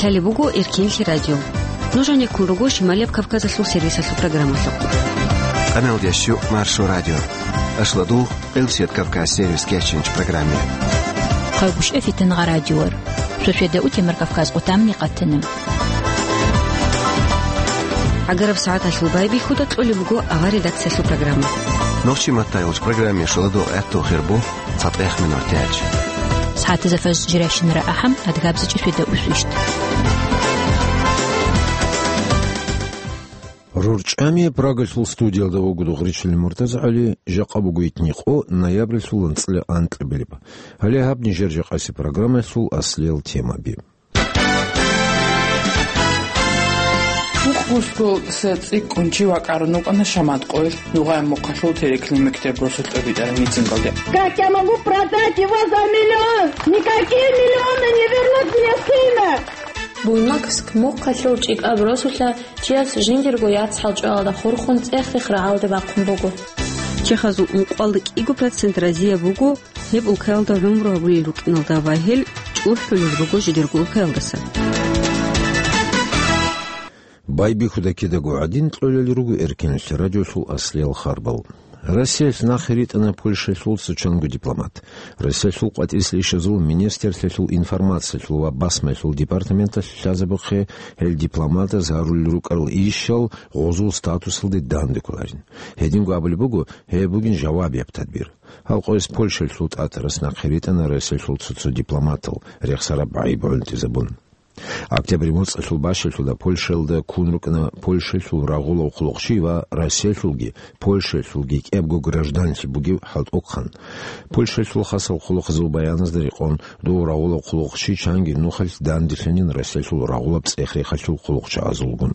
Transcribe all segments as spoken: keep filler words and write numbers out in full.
Лъалеб буго Эркенлъи радио. Нуж гьанеккун руго Шималияб Кавказалъул сервисалъул программалъухъ. Къаналдящу Маршо радио. Ашладугъ, Элсет Кавказ сервис кеченч программе. Хъагушев Фитангъа радиор. Шошеда утемар Кавказ къутамни къатана. ГӀагараб сагӀаталъул байбихьуда кьолеб буго авар редакциялъул программа. Нохчи маттайолч программе шоладо гӀатту хирбу. ЦатӀех минутач. СагӀатазда фажр жирашинара ахӀам, адгабзичӀи шведа усвищ. РурчӀами Прагалъул студиялда вуго Дугъричилин МуртазагӀали, жакъа буго итни къо, ноябрьлъул анцӀила анкьабилеб. Гьале гьаб нижер жакъаси программалъул аслиял темаби. Мухъ гусгул се цӀикӀкӀун чи вакӀарун вукӀана Шаматкъоялъ Нугъай Мухъалъул Тереклъи мектеб росулъ тӀобитӀараб митингалде. Как я могу продать его за миллион? Никакие миллионы не вернут мне сына! Буйнакск мухъалъул ЧӀикӀаб росулъа чияс жиндирго яцӀ хӀалчӀвалда хурхун цӀех-цӀех рагӀалде бахъун буго. Чехазул ункъоялда кӀиго процент разияб буго, гьеб улкаялда гӀумру гьабулел рукӀиналда ва гьел чӀухӀулел руго жидерго улкаялдаса. Байбихьуда кидаго гӀадин кьолел руго Эркенлъи радиолъул аслиял харбал. Россиялъ нахъе ритӀана Польшалъул цо чанго дипломат. Россиялъул къватӀирсел ишазул министрлъиялъул информациялъул ва басмаялъул департаменталъ лъазабухъе гьел дипломатаз гьарулел рукӀарал ишал гъозул статусалде данде кколарин. Гьединго абулеб буго, гьеб бугин жавабияб тадбир. Гьал къояс Польшалъул ТӀатарас нахъе ритӀана Россиялъул цо-цо дипломатал, рехсараб гӀайиб гӀунтӀизабун. Октябрь моцӀалъул бащалъуда Польшалда ккун рукӀана Польшалъул рагъулав хъулухъчи ва Россиялъулги, Польшалъулги кӀиябго гражданлъи бугев хӀалтӀухъан. Польшалъул хасал хъулухъазул баяназда рекъон, дов рагъулав хъулухъчи чанги нухалъ данделъанин Россиялъул рагъулаб цӀех-рехалъул хъулухъчагӀазулгун.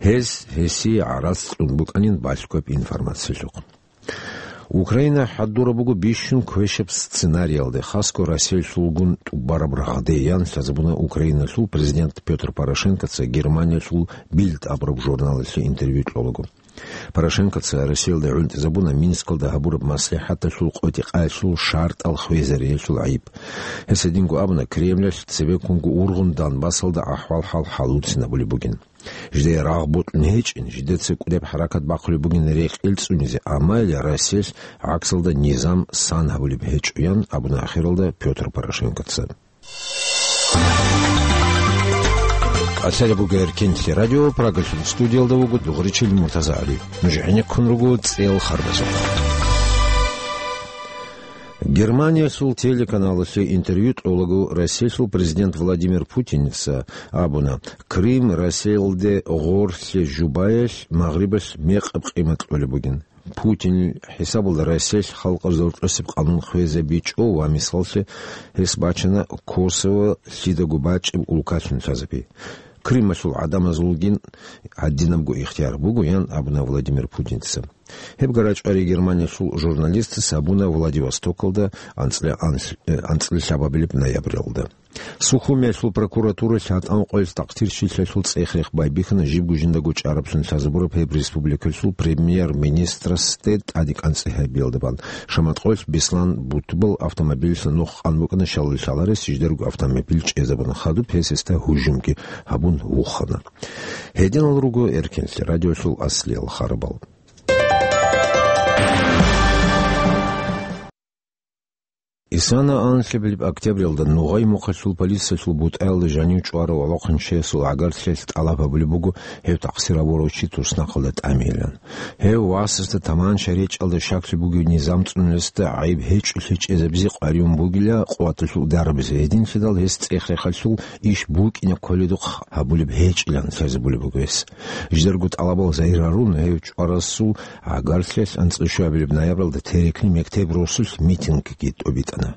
Гьез гьесие гӀарац кьун букӀанин балъгояб информациялъухъ. Украина хӀадураб буго бищун квешаб сценариялде, хасго Россиялъулгун тӀубараб рагъде, ян лъазабуна Украиналъул президент Пётр Порошенкоца Германиялъул Бильд абураб журналалъе интервью кьолаго. Порошенкоца Россиялда гӀунтӀизабуна Минскалда гьабураб маслихӀаталъул къотӀи-къаялъул шартӀал хвезариялъул гӀайиб. Гьес гьединго абуна, Кремлалъ цебеккунго ургъун Донбассалда ахӀвал-хӀал хӀалуцинабулеб бугин. Жидее рагъ бокьун гьечӀин, жидеца кӀудеб хӀаракат бахъулеб бугин рекъел цӀунизе, амма гьеле Россиялъ гӀаксалда низам сан гьабулеб гьечӀо, ян абуна ахиралда Пётр Порошенкоца. Къасияб буго Эркенлъи радио, Прагалъул студиялда вуго Дугъричил МуртазагӀали. Нуж гӀенеккун руго цӀел харбазухъ. Германиялъул телеканалалъе интервью кьолаго Россиялъул президент Владимир Путинца абуна, Крым Россиялде гъорлъе жубаялъ Магърибалъ мекъаб къимат кьолеб бугин. Путин хӀисабалда Россиялъ халкъалъул тӀосеб къанун хвезабичӀо ва, мисаллъе, гьес бачана Косово лъидаго бачӀеб улкалъун лъазабе. Крымалъул гӀадамазулгин гьадинабго ихтияр буго, ян абуна Владимир Путинца. Гьеб гара чӀвари Германиялъул журналистас гьабуна Владивостокалда анцӀила анлъ-, э, анцӀила лъабабилеб ноябралда. Сухумиялъул прокуратуралъ ГьатӀан къоялъ такъдирщиналъул цӀех-рех байбихьана жибго жиндаго чӀараблъун лъазабураб гьеб республикалъул премьер-министрасде тӀаде кӀанцӀи гьабиялда бан. Шаматкъоялъ Беслан Бутбал автомобилалъ нух къан букӀана, щалалъ лъаларес жидерго автомобиль чӀезабуна, хадуб гьес гьесда гьужумги гьабун вухана. Гьединал руго Эркенлъи радиолъул аслиял харабал. Исана анлъабилеб октябралда Нугъай Мухъалъул полициялъул бутӀаялда жанив чӀварав гӀолохъанчиясул гӀагарлъиялъ тӀалаб гьабулеб буго гьев такъсир гьабурав чи туснахъалда тӀамейилан. Гьев васасда таманча речӀчӀалда щаклъи бугев низам цӀунулесда гӀайиб гьечӀолъи чӀезабизе къваригӀун бугила къуваталъул дарабазе, гьединлъидал гьес цӀех-рехалъул иш букӀине кколедухъ гьабулеб гьечӀилан лъазабулеб буго гьес. Жидерго тӀалабал загьир гьарун, гьев чӀварасул гӀагарлъиялъ анцӀила щуабилеб ноябралда Терекли мектеб росулъ митингги тӀобитӀана.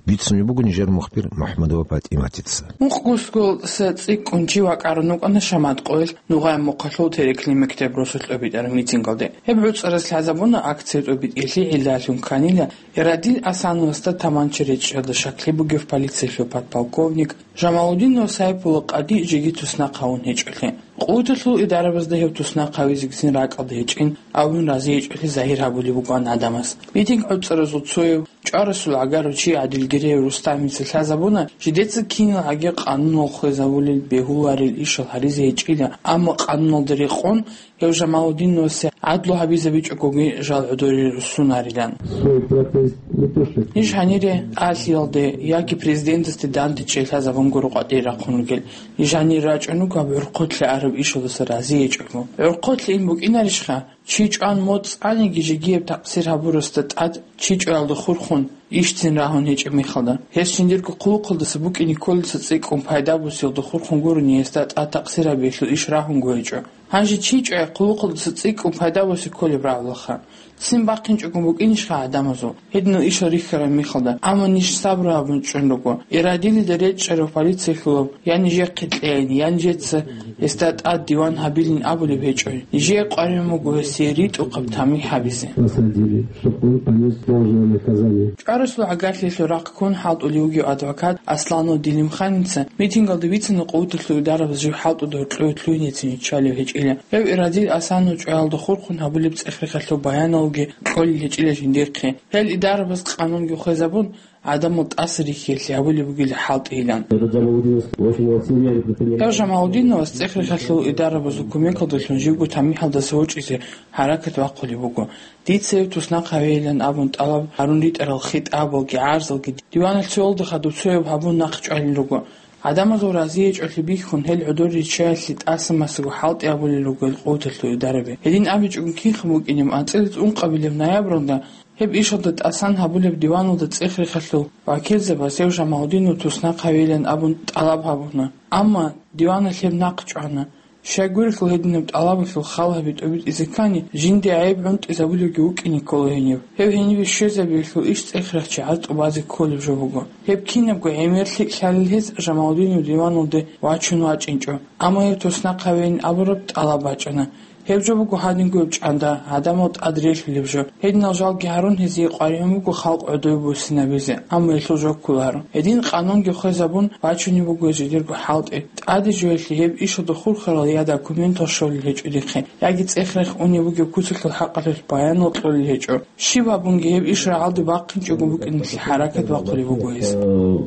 Бицунеб буго нижер мухбир МухӀамадова ПатӀиматица. Мухъ гусгул се цӀикӀкӀун чи вакӀарун вукӀана Шаматкъоялъ Нугъай Мухъалъул Терекли мектеб росулъ тӀобитӀараб митингалде. Гьеб гӀуцӀарас лъазабуна акция тӀобитӀиялъе гӀиллалъун кканила Ирадил Асановасда таманча речӀчӀалда щаклъи бугев полициялъул подполковник Жамалудинов Сайпула къади жеги туснахъ гьавун гьечӀолъи. Къуваталъул идарабазда гьев туснахъ гьавизегицин ракӀалда гьечӀин, абун рази гьечӀолъи загьир гьабулеб букӀан гӀадамаз. Митинг гӀуцӀаразул цояв ЧӀварасул гӀагарав чи ГӀадилгиреев Рустамица лъазабуна, жидеца кинал гӀаги къануналъ хвезабулел бегьуларел ишал гьаризе гьечӀила, амма къануналда рекъон гьев Жамалудиновасе гӀадлу гьабизабичӀогоги жал гӀодоре руссунарилан. Свой протест не то что... Ниж гьанире тӀалъиялде яги президентасде дандечӀей лъазабун гуро къватӀире рахъун ругел. Ниж гьанир рачӀун руго гьаб гӀурхъулъе араб ишалдаса разиечӀого. ГӀурхъулъе ин букӀинарищха? Чи чӀван моцӀ цӀаниги жигияб такъсир гьабурасда тӀад чи чӀваялда хурхун ишцин рагьун гьечӀеб мехалда, гьес жиндирго хъулухъалдаса букӀине кколелдаса цӀикӀкӀун пайда босиялда хурхун гурони гьесда тӀад такъсир гьабиялъул иш рагьунго гьечӀо. Гьанже чи чӀвай хъулухъалдаса цӀикӀкӀун пайда босе кколеб рагӀулаха? Ццин бахъинчӀого букӀинищха гӀадамазул гьединал ишал рихьараб мехалда? Амма ниж сабру гьабун чӀун руго. Ирадилида речӀчӀарав полициялъулав я нижехъе кьейин, я нижеца гьесда тӀад диван гьабилин абулеб гьечӀо. Нижее къваригӀун буго гьесие ритӀухъаб тамихӀ гьабизе. Посадили, чтоб он понёс должное наказание. ЧӀварасул гӀагарлъиялъул рахъ ккун хӀалтӀулев вугев адвокат Асланов Делимханица митингалда бицана къуваталъул идарабаз жив хӀалтӀуда гьоркьове лъугьинецин иччалев гьечӀила. Гьев Ирадил Асанов чӀваялда хурхун гьабулеб цӀех-рехалъул баяналги кьолел гьечӀила жиндихъе. Гьел идарабаз къанунги хвезабун, гӀадамал тӀаса рихьиялъе гьабулеб бугила хӀалтӀийилан. Этот Джамалудинов очень вот серьёзно предпринимает... Гьев Жамалудиновас цӀех-рехалъул идарабазул кумекалдалъун живго тамихӀалдаса вачӀине гьаракат бахъулеб буго. Дица гьев туснахъ гьавейилан абун тӀалаб гьарун ритӀарал хитӀабалги гӀарзалги диваналъ цоялда хадуб цояб гьабун нахъ чӀвалел руго. ГӀадамазул разиячӀалъи бихьун, гьел гӀодор риччаялъе тӀаса-масаго хӀалтӀи гьабулел руго гьел къуваталъул идараби. Гьедин абичӀого кинха букӀинеб, анцӀила ункъабилеб ноябралда гьеб ишалда тӀасан гьабулеб диваналда цӀех-рехалъул вакилзабаз гьев Жамалудинов туснахъ гьавейилан абун тӀалаб гьабуна. Амма диваналъ гьеб нахъ чӀвана. Щайгурелъул гьединаб тӀалабалъул хал гьаби тӀобитӀизе ккани, жинде гӀайиб гӀунтӀизабулевги вукӀине ккола гьенив. Гьев гьениве щвезабиялъул иш цӀех-рехчи гӀаз тӀубазе кколеб жо буго. Гьеб кинабго гӀемер лъикӀ лъалел гьез Жамалудинов диваналде вачун вачӀинчӀо. Амма гьев туснахъ гьавейин абураб тӀалаб бачӀана. Гьеб жо буго гьадингояб чӀанда, гӀадамал тӀад релълъулеб жо. Гьединал жалги гьарун гьезие къваригӀун буго халкъ гӀодове буссинабизе, амма гьелъул жо кколаро. Гьедин къанунги хвезабун, бачунеб буго жидерго хӀалтӀи. ТӀаде жоялъе гьеб ишалда хурхарал я документал щолел гьечӀо дихъе, яги цӀех-рех унеб бугеб куцалъул хӀакъалъулъ баянал кьолел гьечӀо. Щиб гьабунги гьеб иш рагӀалде бахъинчӀого букӀиналъе хӀаракат бахъулеб буго гьес. Э,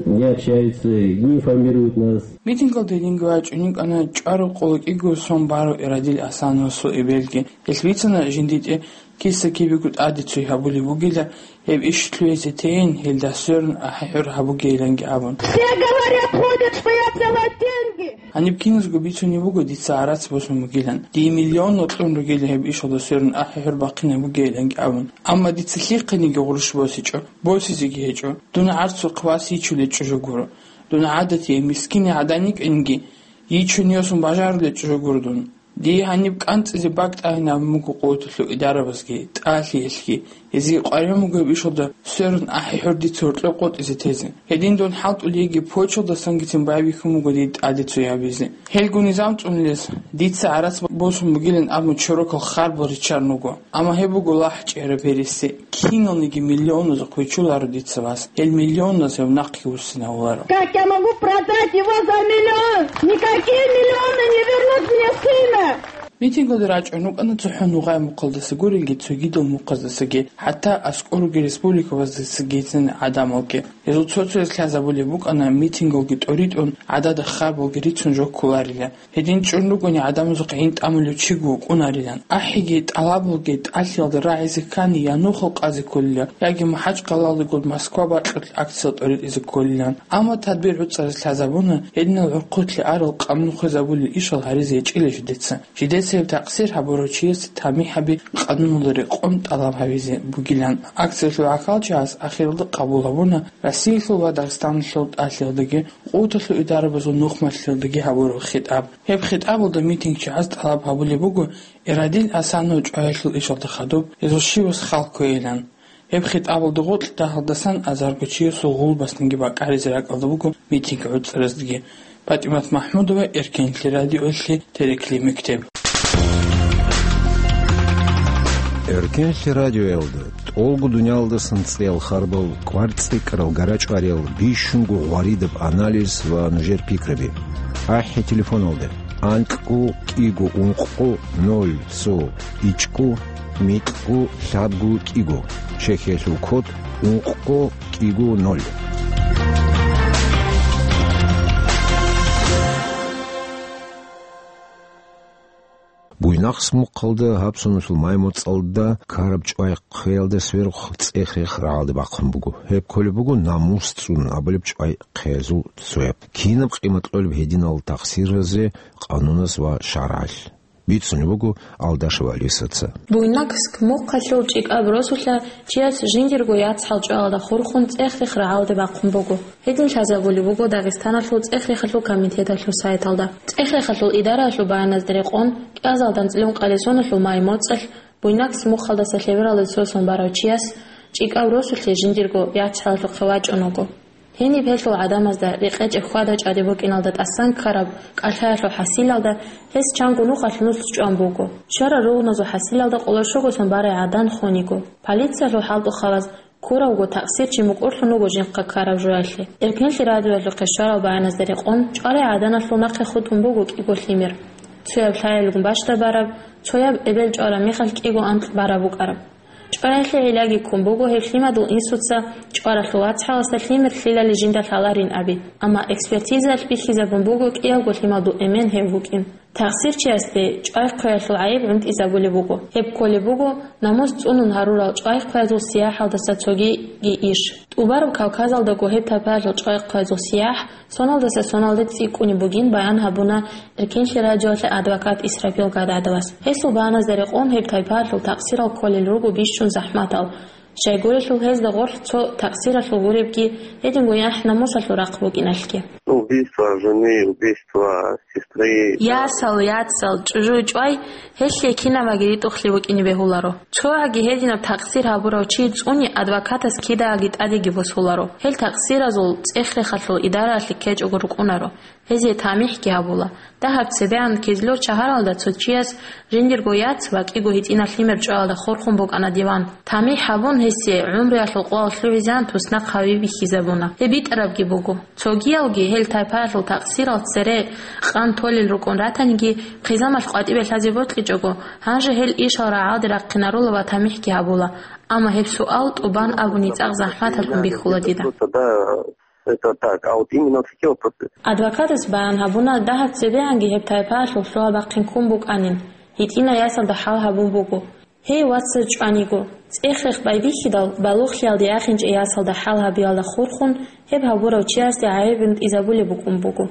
не общаются, не информируют нас. Митингалде гьединго вачӀун йикӀана чӀвараб къоло кӀиго сом барав Ирадил Асановасул эбелги. Гьелъ бицана жиндитӀе киса-кибего тӀаде цой гьабулеб бугила, гьеб иш лъугьизе тейин, гьелда сверун ахӀи-хӀур гьабугейиланги абун. Все говорят, ходят, что я взяла деньги. Гьаниб киназго бицунеб буго дица гӀарац босун бугилан, дие миллионал кьун ругила гьеб ишалда сверун ахӀи-хӀур бахъинаб бугейиланги абун. Амма дица лъихъениги гъурущ босичӀо, босизеги гьечӀо. Дун гӀарцухъ вас йичулечӀо жо гуро. Дун гӀадатияй мискинай гӀадан йикӀинги, йичун йосун бажарулечӀо жо гуро дун. Дие гьаниб кӀанцӀизе бакӀ тӀагӀинабун буго къуваталъул идарабазги, тӀалъиялъги, гьезие къваригӀун буго гьеб ишалда сверун ахӀи-хӀур дица гьоркьоб къотӀизе тезе. Гьедин дун хӀалтӀулей йиги почталдасангицин байбихьун буго дие тӀаде цой гьабизе. Гьелго низам цӀунулес дица гӀарац босун бугилан абун чорокал харбал риччарун руго. Амма гьеб буго лахӀчӀияб гьереси. Киналниги миллионазухъ вичуларо дица вас. Гьел миллионаз гьев нахъги вуссинавуларо. Как я могу продать его за миллион? Никакие миллионы не вернут мне сына! Митингалде рачӀун рукӀана цохӀо Нугъай мухъалдаса гурелги, цогидал мухъаздасаги, хӀатта аскӀор ругел республикабаздасагицин гӀадамалги. Гьезул цо-цояз лъазабулеб букӀана митингалги тӀоритӀун, гӀадада харбалги рицун жо кколарила. Гьедин чӀун ругони гӀадамазухъ гӀин тӀамулев чиго вукӀунарилан. АхӀиги тӀалабалги тӀалъиялда рагӀизе ккани, я нухал къазе кколила, яги МахӀачкъалалдегун Москва бакьулъ акциял тӀоритӀизе кколилан. Амма тадбир гӀуцӀараз лъазабуна, гьединал гӀурхъулъе арал къанун хвезабулел ишал гьаризе гьечӀила жидеца. Жидеца гьеб такъсир гьабурав чиясе тамихӀ гьаби къануналда рекъон тӀалаб гьабизе бугилан. Акциялъул гӀахьалчагӀаз ахиралда къабул гьабуна Россиялъул ва Дагъистаналъул тӀалъиялдаги, къуваталъул идарабазул нухмалъиялдаги гьабураб хитӀаб. Гьеб хитӀабалда митингчагӀаз тӀалаб гьабулеб буго Ирадил Асанов чӀваялъул ишалда хадуб гьезул щивас хал кквейилан. Гьеб хитӀабалда гъоркь дагьалдасан азарго чиясул гъулбасниги бакӀаризе ракӀалда буго митинг гӀуцӀараздаги. ПатӀимат МахӀмудова, Эркенлъи радиоялъе, Терекли мектеб. Эркенлъи радиоялда тӀолго дуниялдасан цӀиял харбал, кӀвар цӀикӀкӀарал, гарачӀвариял, бищунго гъваридаб анализ ва нужер пикраби. АхӀи телефоналде: анкьго кӀиго ункъо ноль цо ичӀго микьго лъабго кӀиго, чехьиялъул код ункъго кӀиго ноль. Буйнакск мухъалда гьаб соналъул май-моцӀалда ккараб чӀвай хъвеялда сверухъ цӀех-рех рагӀалде бахъун буго. Гьеб кколеб буго намус цӀунун абулеб чӀвай хъвеязул цояб. Кинаб къимат кьолеб гьединал тахсиразе къанунас ва шаргӀалъ? Бицунеб буго Алдашев Алисаца. Буйнакск мухъалъул ЧӀикӀаб росулъа чияс жиндирго яцхӀал чӀваялда хурхун цӀех-рех рагӀалде бахъун буго. Гьедин лъазабулеб буго Дагъистаналъул цӀех-рехалъул комитеталъул сайталда. ЦӀех-рехалъул идараялъул баяназда рекъон, кӀиазалда анцӀила ункъабилеб соналъул май-моцӀалъ Буйнакск мухъалдаса лъебералде сосон барав чияс ЧӀикӀаб росулъе жиндирго яцхӀалалъухъе вачӀун вуго. Гьениб гьелъул гӀадамазда рекъечӀеб хьвада-чӀвади букӀиналда тӀасан ккараб кӀалъаялъул хӀасилалда гьес чанго нухалъ нус чӀван буго. Щварал ругъуназул хӀасилалда къоло щуго сон барай гӀадан хун йиго. Полициялъул хӀалтӀухъабаз ккуравго такъсирчи мукӀурлъун вуго жинхъа ккараб жоялъе. Эркенлъи радиоялъухъе щварал баяназда рекъон, чӀварай гӀаданалъул нахъе хутӀун буго кӀиго лъимер. Цояб лъаялъун бащдабараб, цояб эбел чӀвараб мехалъ кӀиго анкь бараб букӀараб. ЧӀваялъе гӀиллаги ккун буго гьеб лъимадул инсуца чӀваралъул вацгӀаласда лъимер лъилали жинда лъаларин аби, амма экспертизаялъ бихьизабун буго кӀиябго лъимадул эмен гьев вукӀин. Такъсирчиясде чӀвай хъвеялъул гӀайиб гӀунтӀизабулеб буго. Гьеб кколеб буго намус цӀунун гьарурал чӀвай хъвеязул сияхӀалдаса цогиги иш. ТӀубараб Кавказалдаго гьеб тайпаялъул чӀвай хъвеязул сияхӀ соналдаса соналде цӀикӀкӀунеб бугин баян гьабуна Эркенлъи радиоялъе адвокат Исрапил Гададовас. Гьесул баяназда рекъон гьеб тайпаялъул такъсирал кколел руго бищун захӀматал. Щайгурелъул гьезда гъорлъ цо такъсиралъул гуребги, гьединго яхӀ-намусалъул рахъ букӀиналъги. Убийство жены, убийство сестры. Ясал, яцал, чӀужу-чӀвай, гьелъие кинабаги ритӀухълъи букӀине бегьуларо. ЦогӀаги гьединаб такъсир гьабурав чи цӀуни адвокатас кидаги тӀадеги босуларо. Гьел такъсиразул цӀех-рехалъул идараялъе ккечӀого рукӀунаро. Гьезие тамихӀги гьабула. Дагьаб цебегӀан Кизлёр шагьаралда цо чияс жиндирго яц ва кӀиго гьитӀинаб лъимер чӀваялда хурхун букӀана диван. ТамихӀ гьабун гьесие гӀумруялъул къоял лъугӀизегӀан туснахъ гьави бихьизабуна. Гьеб битӀарабги буго. Цогиялги гьел тайпаялъул такъсирал цере къан толел рукӀун ратаниги, хъизамалъ къватӀибе лъазе бокьичӀого, гьанже гьел ишал рагӀалде рахъинарула ва тамихӀги гьабула. Амма гьеб суал тӀубан абуни цӀакъ захӀматалъун бихьула дида. Это так, а вот именно в сети вопросы. Адвокатас баян гьабуна, дагьаб цебегӀанги гьеб тайпаялъул лъугьа-бахъин ккун букӀанин, гьитӀинаб ясалда хӀал гьабун буго. Гьей, вацаз чӀваниго, цӀех-рех байбихьидал, балугълъиялде яхинчӀей ясалда хӀал гьабиялда хурхун, гьеб гьабурав чиясде гӀайиб гӀунтӀизабулеб букӀун буго.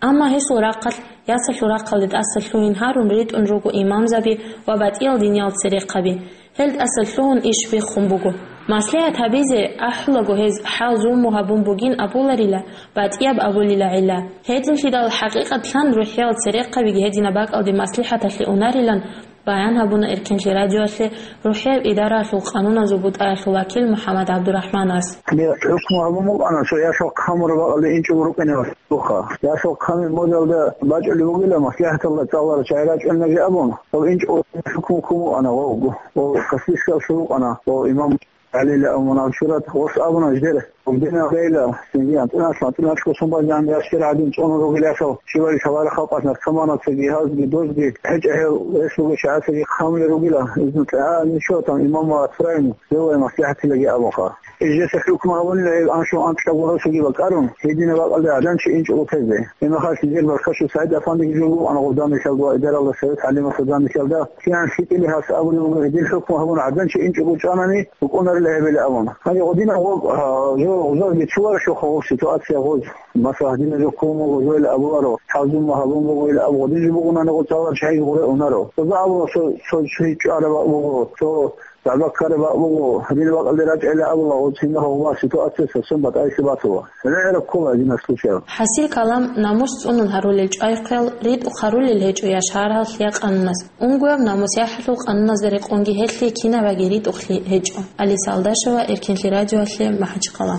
Амма гьесул рахъалъ, ясалъул рахъалде тӀаса лъугьин гьарун ритӀун руго имамзаби ва батӀиял диниял церехъаби. Гьел тӀаса лъугьун иш биххун буго. МаслихӀат гьабизе ахӀулаго гьез хӀал зулму гьабун бугин абуларила, батӀияб абулила гӀилла. Гьединлъидал хӀакъикъатлъан рухӀиял церехъабиги гьединаб бакӀалде маслихӀаталъе унарилан баян гьабуна Эркенлъи радиоялъе рухӀияб идараялъул къануназул бутӀаялъул вакил МухӀаммад ГӀабдурахӀманас. Гьеле хӀукму гьабун букӀана, цо ясал хъамураб бакӀалде инчӀого рукӀине васухъа. Ясал хъамил модалда бачӀулеб бугила, маслихӀаталда цӀаларал чагӀи рачӀунаги абун, гьев инчӀого хӀукму ккун букӀана, гьев, гьев Каспийскалъул вукӀана, гьев имам ГӀалила Амунал Чурат, гъос абуна ждер, гьев динал гӀейла, синги анцӀила, анцӀила косун базан яшкир гӀадин цӀунун ругел ясал, щивали шалара халкъалъ наркоманацаги, гьазги, дозги, гьечӀо гьев, гьес буго чагӀацаги хъамулел ругила, изну, а, ничего, там, имам ва Атфраим, гьев вай маслихӀатилаги абунха. Жеса хӀукму гьабунила гьеб аншун анкьаб гъоросаги бакӀарун, гьединаб бакӀалда гӀадан чи инчӀого тезе. Гьеб мехалъ нижер баркаччо СагӀид Афандиги жо букӀана гъоб данделъалда, идаралда Совет ГӀалимасул данделъалда. КигӀан лъикӀили гьас абулеб буго, гьедин хӀукму гьабун гӀадан чи инчӀого чӀванани, букӀунарила гьебила абун. Гьанже гъодинаб гъоб, а, жо гъозалги цо варшухъа гъоб ситуация гъоз. Масала, гьадинаб жо ккун буго, жоял абуларо, хӀал зулму гьабун буго, ил аб гъодин жо бугунани гъоцалар чагӀиги гъуре унаро. Гъоза абула, цо, цо чи чӀвараб буго, цо ЗагӀба ккараб бакӀ буго, гьадин бакӀалде рачӀайилан абула, гъоцин гьавмал ситуация совсем батӀайсе батула. ГӀемераб ккола гьадинаб случай. ХӀасил калам, намус цӀунун гьарулел чӀвай хъвел ритӀухъ гьарулел гьечӀо я шагьаралъ, я къанунас. Унгояб намус яхӀалъул къануназда рекъонги гьелъие кинабаги ритӀухълъи гьечӀо. Алиса Алдашева, Эркенлъи радиоялъе, МахӀачхъала.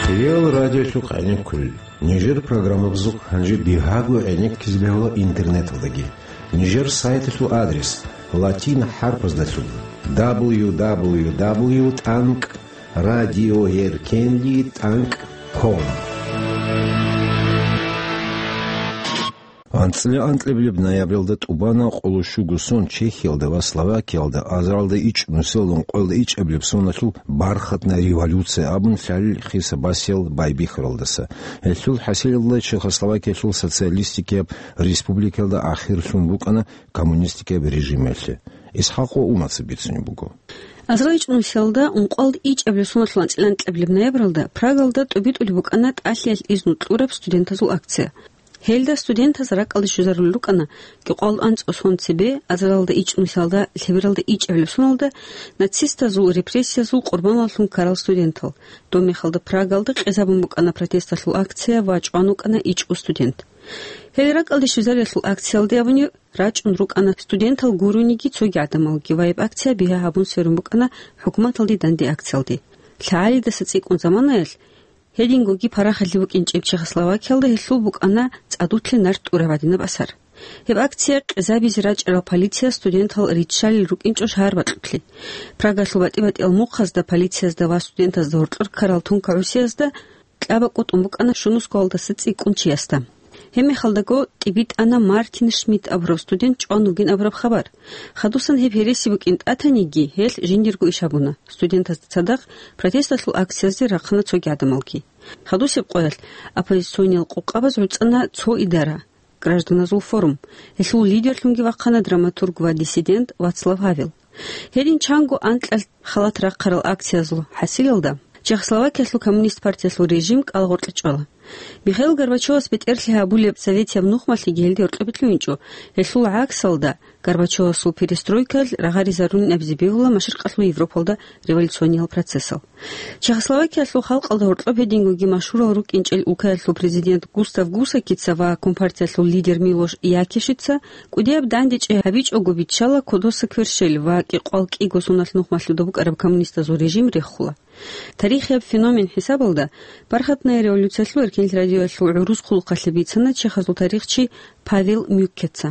Хириял радиолъухъ гӀенеккулел. Нижер программабазухъ гьанже бигьаго гӀенеккизе бегьула интернеталдаги. Нижер сайталъул адрес латин хӀарпаздалъун: дабл ю дабл ю дабл ю тӀанкӀ радиоэркенли тӀанкӀ ком. АнцӀила анкьабилеб ноябралда тӀубана къоло щуго сон Чехиялда ва Словакиялда азаралда ичӀ нусиялда ункъоялда ичӀабилеб соналъул бархатна революция абун лъалел хиса-басиял байбихьаралдаса. Гьелъул хӀасилалда Чехословакиялъул социалистикияб республикаялда ахирлъун букӀана коммунистикияб режималъе. ИсхӀакъ ва Умаца бицунеб буго. Азарал ичӀ нусиялда ункъоялда ичӀабилеб соналъул анцӀила анкьабилеб ноябралда Прагалда тӀубитӀулеб букӀана тӀалъиялъ изну кьураб студентазул акция. Гьелда студентаз ракӀалде щвезарулел рукӀана кӀикъоялда анцӀго сон цебе, азаралда ичӀ нусиялда лъебералда ичӀабилеб соналда нацистазул репрессиязул къурбаналлъун ккарал студентал. Дом-мехалда Прагалда къезабун букӀана протесталъул акция ва чӀван вукӀана ичӀго студент. Гьел ракӀалде щвезариялъул акциялде абуни рачӀун рукӀана студентал гурониги цоги гӀадамалги ва гьеб акция бигьа гьабун сверун букӀана хӀукуматалде данде акциялде. ЛъагӀалидаса цӀикӀкӀун заманаялъ, гьедингоги парахалъи букӀинчӀеб Чехословакиялда гьелъул букӀана цӀадулъе нарт тӀураб гӀадинаб асар. Гьеб акция къезабизе рачӀарал полиция студентал риччалел рукӀинчӀо шагьар бакьулъе. Прагалъул батӀи-батӀиял мухъазда полициязда ва студентазда гьоркьор ккарал тункагӀусиязда кьабакӀ тӀун букӀана щунусго гьалдаса цӀикӀкӀун чиясда. Гьебмехалдаго тӀибитӀана Мартин Шмидт абураб студент чӀван вугин абураб хабар. Хадусан гьеб гьереси букӀин тӀатаниги, гьелъ жиндирго иш гьабуна. Студентазда цадахъ протесталъул акциязде рахъана цоги гӀадамалги. Хадусеб къоялъ оппозициониял къокъабаз гӀуцӀана цо идара, Гражданазул форум. Гьелъул лидерлъунги вахъана драматург ва диссидент Вацлав Гьавел. Гьедин чанго анкьалъ халат рахъарал акциязул хӀасилалда Чехословакиялъул коммунист партиялъул режим кӀалагъоркье чӀвала. Михаил Горбачевас бетӀерлъи гьабулеб советияб нухмалъиги гьелде гьоркьобе лъугьинчӀо, гьелъул гӀаксалда Горбачевасул перестройкаялъ рагъаризарунин абизе бегьула Машрикъалъул Европалда революциониял процессал. Чехословакиялъул халкъалда гьоркьоб гьедингоги машгьурал рукӀинчӀел улкаялъул президент Густав Гусакица ва компартиялъул лидер Милош Якишица кӀудияб дандечӀи гьабичӀого биччала кодоса кверщел ва кӀикъвал кӀиго соналъ нухмалъуда букӀараб коммунистазул режим рехула. Тарихияб феномен хӀисабалда, Бархатная революциялъул эркенлъи радиоялъул гӀурус хъулухъалъе бицана чехазул тарихчи Павел Мюккеца.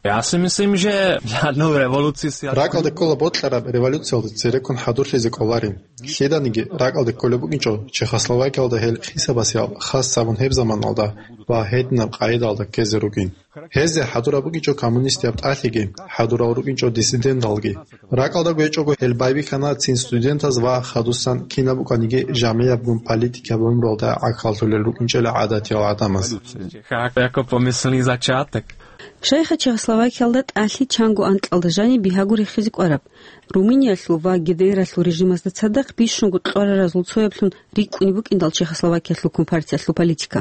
Я си мислим, же для одной революции си... Ракалде ккола бокьараб революциялда цереккун хӀадурлъизе кӀоларин. Лъиданиги ракалде кколеб букӀинчӀо Чехословакиялда гьел хисабасиял хас гьабун гьеб заманалда ва гьединаб къагӀидалда ккезе ругин. Гьезде хӀадураб букӀинчӀо коммунистияб тӀалъиги, хӀадурал рукӀинчӀо диссиденталги. Ракалда гьечӀого гьел байбихьана цин студентаз ва хадусан кинаб букӀаниги жамигӀабгун политикияб гӀумруялда гӀахьаллъулел рукӀинчӀела гӀадатиял гӀадамаз. Як помислни зачаток. Шайха Чехословакиялда тӀалъи чанго анкьалда жаниб бигьаго рехизе кӀвараб, Румыниялъул ва ГДРалъул режимазда цадахъ бищунго кьвараразул цояблъун рикӀкӀунеб букӀиндал Чехословакиялъул компартиялъул политика.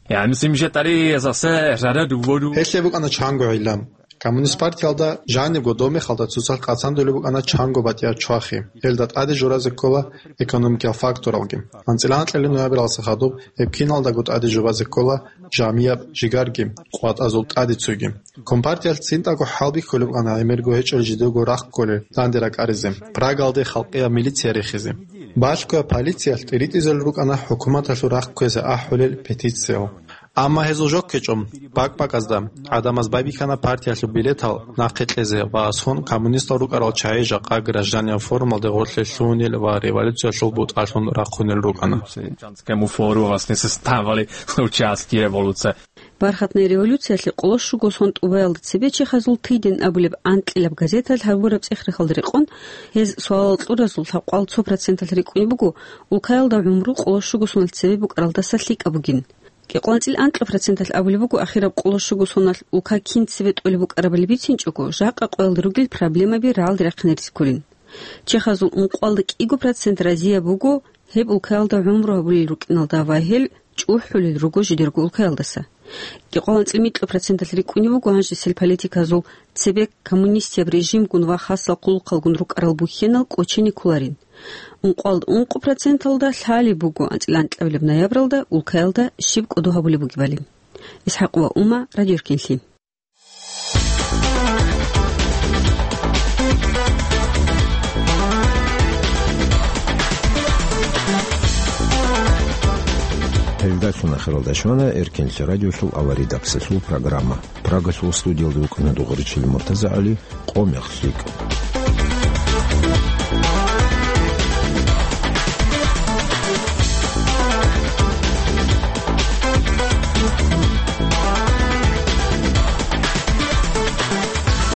Я мислим, же тари засе рара дуводу. Гьелъе букӀана чанго гӀилла. Коммунист партиялда жанибго домехалда цоцалъ къацандулеб букӀана чанго батӀиял чвахи. Гьелда тӀаде журазе ккола экономикиял факторалги. АнцӀила анкьалил ноябралдаса хадуб гьеб киналдаго тӀаде жубазе ккола жамияб жигарги, къватӀазул тӀадецуйги. Компартиялъ цинтӀаго хӀалбихьулеб букӀана гӀемерго гьечӀел жидего рахъ кколел данде ракӀаризе, Прагалде халкъияб милиция рехизе. Балъго полициялъ тӀиритӀизел рукӀана хӀукуматалъул рахъ кквезе ахӀулел петициял. Амма гьезул жо ккечӀо, бакӀ-бакӀазда гӀадамаз байбихьана партиялъул билетал нахъе кьезе ва сон коммунистал рукӀарал чагӀи жакъа гражданиял форумалде гъорлъе лъугьунел ва революциялъул бутӀалъун рахъунел рукӀана. Бархатная революциялъе къоло щуго сон тӀубаялда цебе чехазул «Тыден» абулеб анкьилаб газеталъ гьабураб цӀех-рехалда рекъон, гьез суалал кьуразул лъабкъоялда цо проценталъ рикӀкӀунеб буго, улкаялда гӀумру къоло щуго соналъ цебе букӀаралдаса лъикӀаб бугин. КӀикъоялда анцӀила анкьа проценталъ абулеб буго ахираб къоло щуго соналъ улка кин цебе тӀолеб букӀарабали бицинчӀого, жакъа къоялда ругел проблемаби рагӀалде рахъине рискулин. Чехазул ункъоялда кӀиго процент разияб буго гьеб улкаялда гӀумру гьабулел рукӀиналда ва гьел чӀухӀулел руго жидерго улкаялдаса. КӀикъоялда анцӀила микьго проценталъ рикӀкӀунеб буго гьанжесел политиказул цебе коммунистияб режимгун ва хасал хъулухъалгун рукӀарал бухьенал кӀочене кколарин. Ункъоялда ункъо проценталда лъалеб буго анцӀила анкьабилеб ноябралда улкаялда щиб кӀодо гьабулеб бугебали. ИсхӀакъ ва Ума, Радио Эркенлъи. Гьелдалъун ахиралда щвана Эркенлъи радиолъул аваридабцалъул программа. Прагалъул студиялда вукӀана Дугъричил МуртазагӀали. Къо мех лъикӀ.